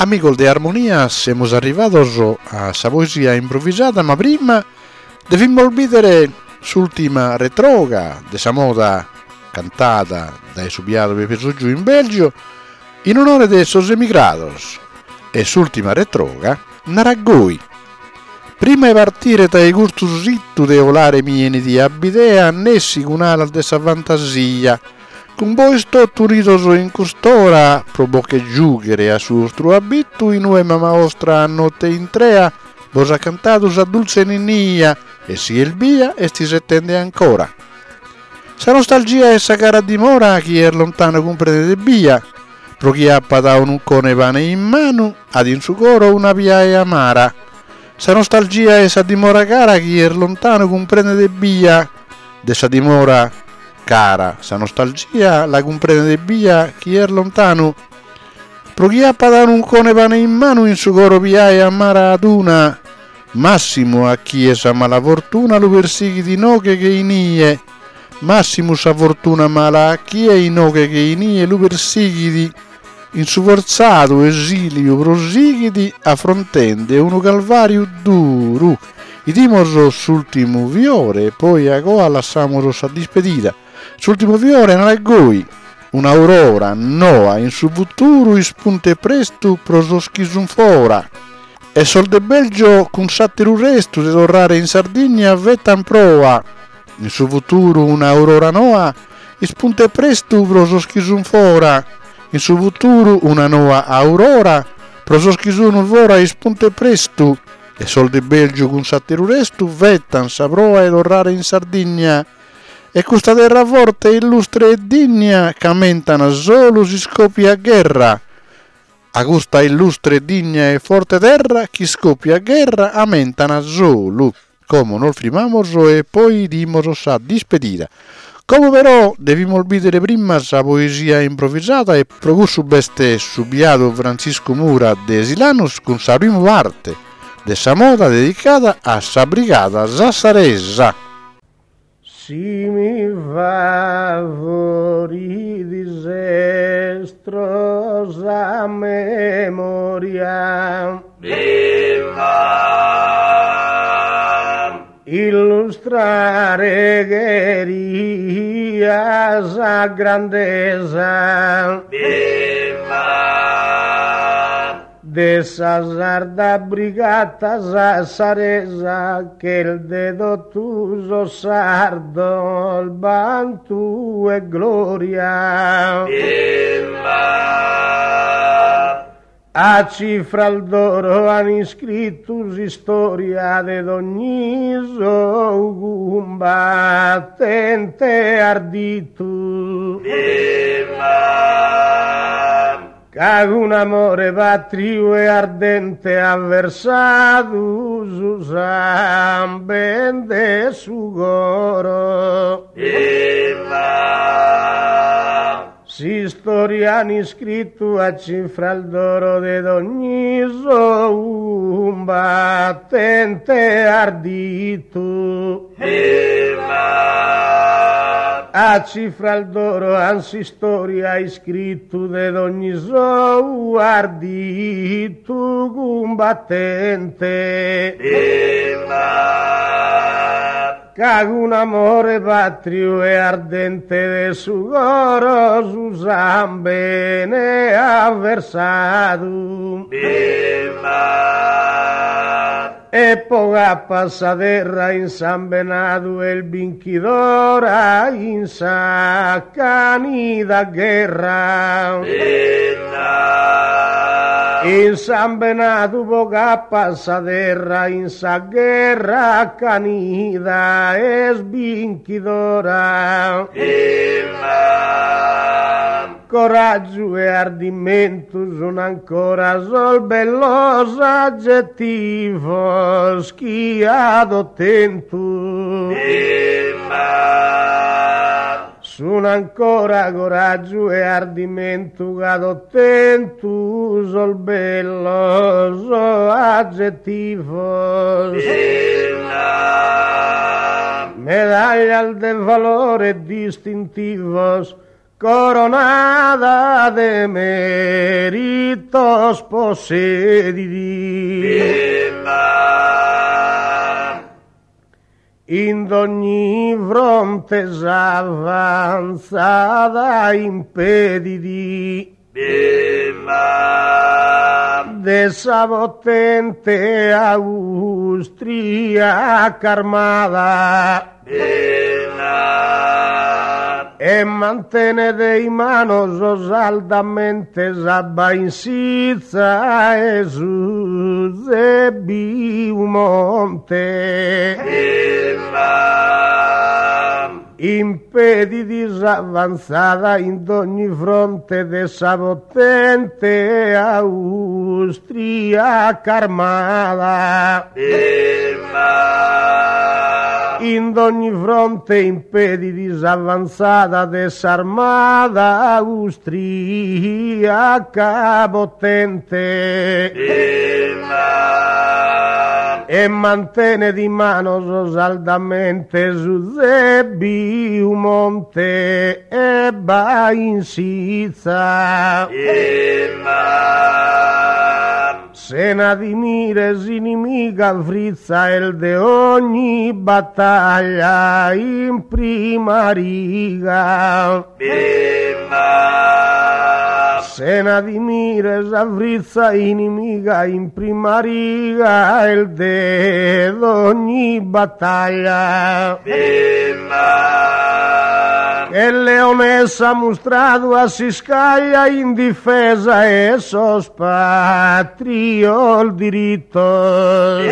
Amigos de Armonia, semus arrivados a sa poesia improvisada, ma prima devimus bìdere s'ùltima retroga de sa moda cantada dae su biadu Pepe Sotgiu in Belgio in onore de sos emigrados e s'ùltima retroga narat goi, Prima 'e partire dae custu situ de 'olare mi 'enit a bidea nessi cun alas de sa fantasia Cun bois totu unidos in cust'ora pro bos che giùghere a su 'ostru abitu inue mama 'ostra a note intrea bos at cantadu sa dultze ninnia e si est bia est isetende ancora. Sa nostalgia 'e sa cara dimora chie est lontanu cumprendet ebbia pro chi apat unu 'ucone 'e pane in manu at in su coro una piae amara. Sa nostalgia 'e sa dimora cara chie est lontanu cumprendet ebbia de sa dimora Cara sa nostalgia la cumprendet ebbia chie est lontanu pro chi apat unu 'ucone 'e pane in manu in su coro piae amara at una massimu a chie sa mala fortuna lu persighit inoghe che inie massimu sa fortuna mala a chie inoghe che inie lu persighit in su fortzadu esiliu prosighit afrontende unu calvariu duru. 'Idimos s'ultimu fiore e poi agoa lassamos sa dispedida. S'ultimu fiore narat goi, Un'aurora noa in su futuru ispuntet prestu pro sos chi sun fora. E sos de Belgio cun s'ateru restu de torrare in Sardigna fetan proa. In su futuru un'aurora noa ispuntet prestu pro sos chi sun fora, in su futuru una noa aurora pro sos chi sun fora ispuntet prestu, e sos de Belgiu cun s'ateru restu fetan sa proa 'e torrare in Sardigna e custa terra forte illustre e digna ch'ammentan solu s'iscoppiat gherra A custa illustre digna e forte terra ch'iscoppiat gherra ammentan solu. Como nos frimamos e poi 'idimos sa dispedida. Como però devimos bìdere prima sa poesia improvisada e pro cussu b'est su biadu Frantziscu Mura de Silanus cun sa primu parte de sa moda dedicada a sa brigada sassaresa. Si mi favorit estro sa memoria. Viva! Illustrare cheria sa grandesa. Viva! De sa sarda brigata sassaresa ch'est de totu sos sardos bantu e gloria. Viva! A cifras d'oro an iscritu s'istoria de dogni sou cumbatente arditu. Viva! Ca cun amore patriu e ardente at versadu su samben de su coro. Viva! S'istoria an iscritu a cifras d'oro de dogni sou cumbatente arditu. Viva! A cifras d'oro an s'istoria iscritu de dogni sou arditu cumbatente. Viva! Ca cun amore patriu e ardente de su coro su sambene at versadu. Viva! E po ch'apat sa terra insambenadu est binchidora in s'acanida gherra. Insambenadu po ch'apat sa terra in sa gherra acanida est binchidora. Coraggiu e ardimentu sun ancora sos bellos aggettivos chi at ottentu. Sun ancora coraggiu e ardimentu ch'at ottentu sos bellos aggettivos. Medaglias de valore distintivos. Coronada de meritos possedidi. In dogni fronte s'avanzada impedidi. De sa potente austriaca armada. E mantenet in manos saldamente sa Bainsizza e su Zebbiu Monte. Impedit s'avanzada in dogni fronte de sa potente austriaca armada. In dogni fronte impedit s'avanzada de s'armada austriaca potente. E mantenet in manos saldamente su Zebbiu Monte e Bainsizza. Sena timire s'inimiga frizza est de ogni battaglia in prima riga. Sena timire sa frizza inimiga in prima riga est de dogni battaglia. Che leonessa mustradu at s'iscaglia in difesa 'e sos patrios diritos.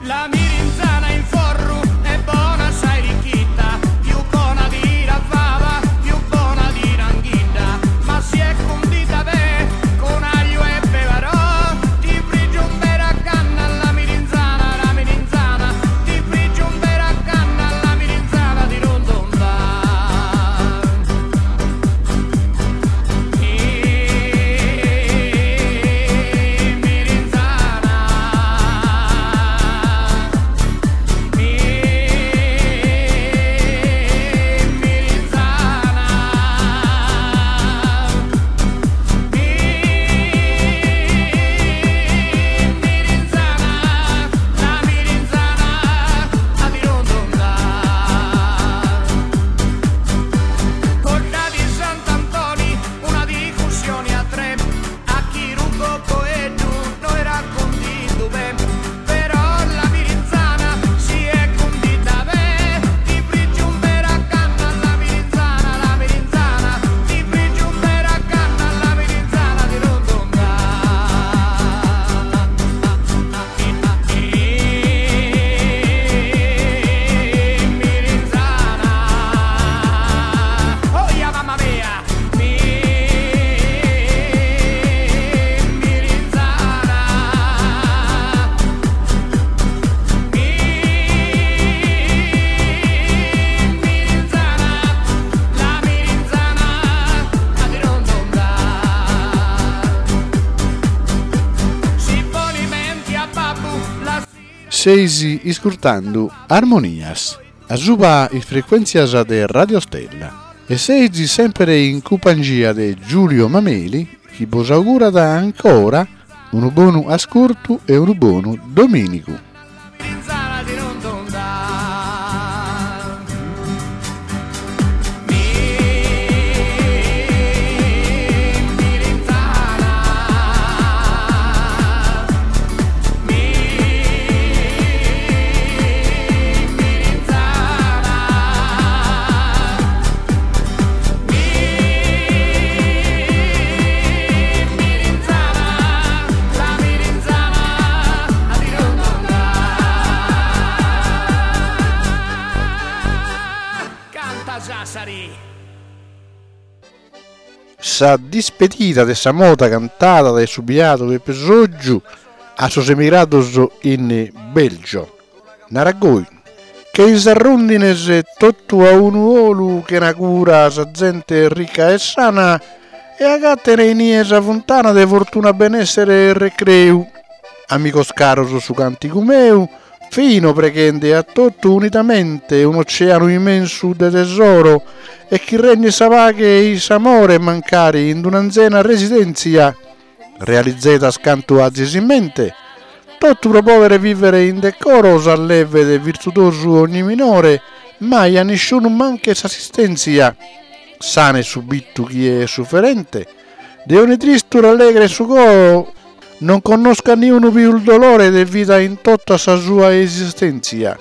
La mirinzana in forru è bona assai ricchitta, più bona di la fava, più bona di l'anghidda, ma si è condita bene con aglio e pevarò, ti frigge un bella canna la mirinzana, la mirinzana, ti frigge un bella canna la mirinzana di rondonda. Quella di Sant'Antoni, una discussione a tre, a chi rubo coedu no era condito ben, però la mirinzana si è condita ben, ti frigge un vera canna la mirinzana, la mirinzana, ti frigge un vera canna la mirinzana di rondonda. Mirinzana, oh ya mamma mia, Mirinzana, Mirinzana, la mirinzana, la di rondonda. Si ponimenti a babbu la Seisi iscurtando Armonias, a suba is frequenzias de Radio Stella. E seisi sempre in compagnia de Giulio Mameli, chi vos augura da ancora un buon ascolto e un buon domenico. mirinzana di rondonda. Mirinzana, mirinzana, la mirinzana, la di rondonda. Canta Sassari. Sa dispedida de sa moda cantata dai subiato de Pesoggiu a sos emigrados in Belgio. Naragoi, che is arrundines totu a unu olu che na cura sa gente ricca e sana e agattere in ie sa fontana de fortuna benessere e recreu. Amigos caros su canticu meu, Fino preghende a totu unidamente un'oceanu immensu de tesoro e chi regnet sa paghe e-i s'amore mancari in d'un'anzena residenzia realizedas cantu azis in mente totu pro podere vivere in decoro s'allevet virtudosu ogni minore mai a nisciunu manchet s'assistenzia sanet subitu chie est sufferente De ogni tristu rallegret su coro, non connoscat niunu pius dolore de vida in tota sa sua esistèntzia.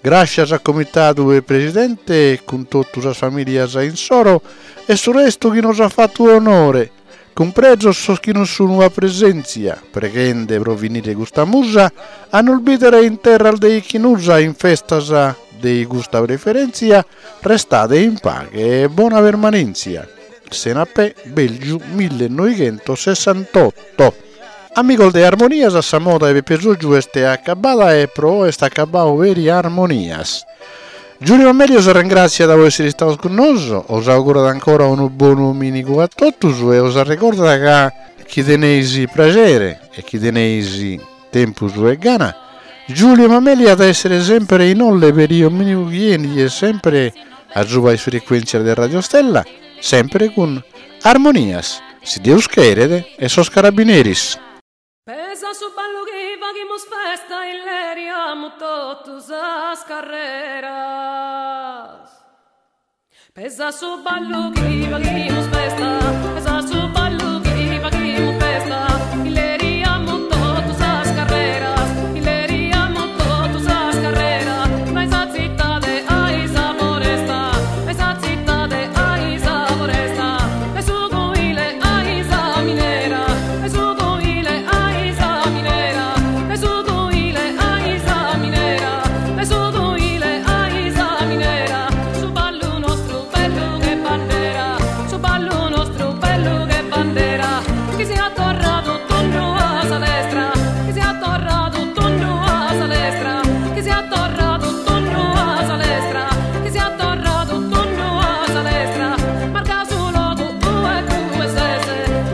Gràscias a comitadu e presidente cun totu sas famìlias insoro e su restu chi nos at fatu onore, cumpresos sos chi non sunu a presèntzia, preghende pro finire custa musa a nos bìdere in terras de Ichnusa in festas de custa preferèntzia, restade in paghe e bona permanèntzia. Senapè, Belgiu, millenoighentosessantotto. Amigos de Armonias, sa moda 'e Peppe Soggiu est acabada e pro oe est acabau peri Armonias. Giulio Mameli os arrengràtziat po èssere istados cun nosu, os augurat ancora unu bonu domìnigu a totus e os arregordat ca chi teneis praxere e chi teneis tempus e gana, Giulio Mameli at a èssere semper in Olle peri domìnigu chi 'enit e semper a suba is frecuèntzias de Radio Stella, semper cun Armonias, si Deus cheret e sos carabineris. Pesa su ballu chi faghimus festa illeriamus totu sas carreras. Pesa su ballu chi faghimus festa, pesa su ballu chi faghimus festa, illeriamus totu sas carreras, illeriamus totu sas carreras, dae sa tzitade a sa foresta, dae sa tzitade a sa foresta, dae su cuile a sa minera, dae su cuile a sa minera, dae su cuile a sa minera, dae su cuile a sa minera, su ballu nostru bellu che bandera, su ballu nostru bellu che bandera, chi siat torradu tundu a sa lestra, chi siat torradu tundu a sa lestra, chi siat torradu tundu a sa lestra, chi siat torradu tundu a sa lestra, marca su logu ue tue ses,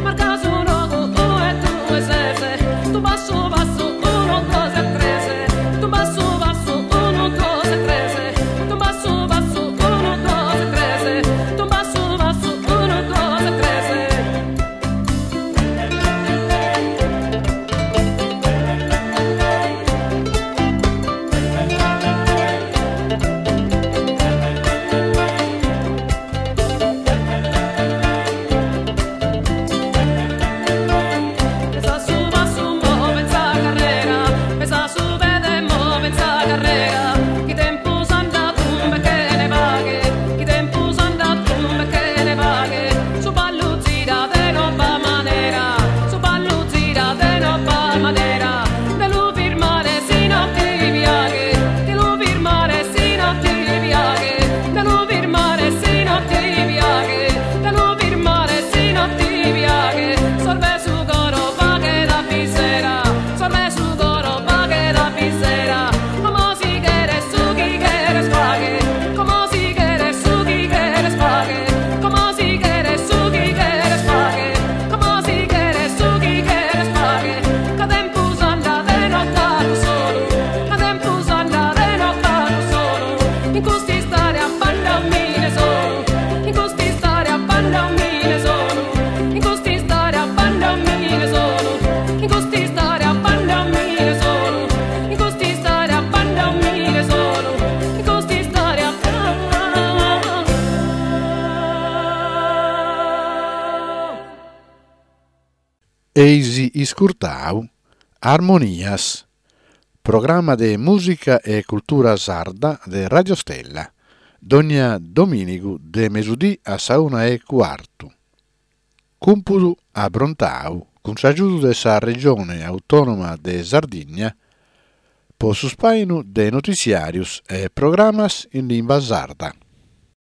marca su logu ue tue ses, tu passu passu unu duos e tres, tu passu passu unu duos e tres, tu passu passu unu duos e tres, tu passu passu unu duos e tres. Pesa su passu move in sa carrera, pesa su pede move in sa carrera, chi tempus andat tumbe chene paghe, chi tempus andat tumbe chene paghe, su ballu zirat de nova manera, su ballu zirat de nova manera, de lu firmare si no ti piaghe, de lu firmare si no ti piaghe, de lu firmare si no ti piaghe, de lu firmare si no ti piaghe, sorbe su coro faghe la bisera, sorbe su coro faghe la bisera, como si cheres su chi cheres faghe, como si cheres su chi cheres faghe, como si cheres su chi cheres faghe, como si cheres su chi cheres faghe, ca tempus andat e no pagu solu, ca tempus andat e no pagu solu, in cust'istoria banda omine solu, in cust'istoria banda omine solu, in cust'istoria banda omine solu, in cust'istoria banda omine solu, in cust'istoria banda omine solu, in cust'istoria Eis iscurtau Armonias, programma de mùsica e cultura sarda de Radio Stella, dònnia domìnigu de mesudì a sa una e cuartu. Cumpudu aprontau cun s'agiudu de sa Regione Autònoma de Sardigna po su spàinu de notiziàrios e programas in limba sarda.